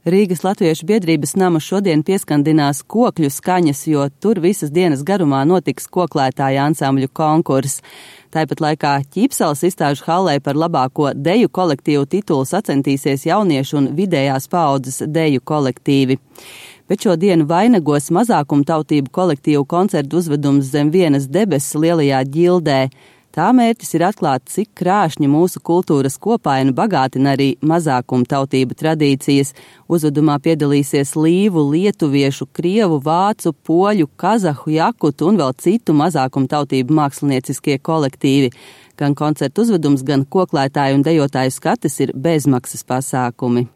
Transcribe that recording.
Rīgas Latviešu biedrības nama šodien pieskandinās kokļu skaņas, jo tur visas dienas garumā notiks koklētāja ansambļu konkurss. Tāpat laikā Ķīpseles izstāžu hallē par labāko deju kolektīvu titulu sacentīsies jauniešu un vidējās paaudzes deju kolektīvi. Bet šo dienu vainagos mazākumtautību kolektīvu koncertu uzvedums Zem vienas debesis lielajā ģildē. Tā mērķis ir atklāt, cik krāšņi mūsu kultūras kopaina bagātina arī mazākumtautību tradīcijas. Uzvedumā piedalīsies līvu, lietuviešu, krievu, vācu, poļu, kazahu, jakutu un vēl citu mazākumtautību mākslinieciskie kolektīvi. Gan koncertu uzvedums, gan koklētāju un dejotāju skates ir bezmaksas pasākumi.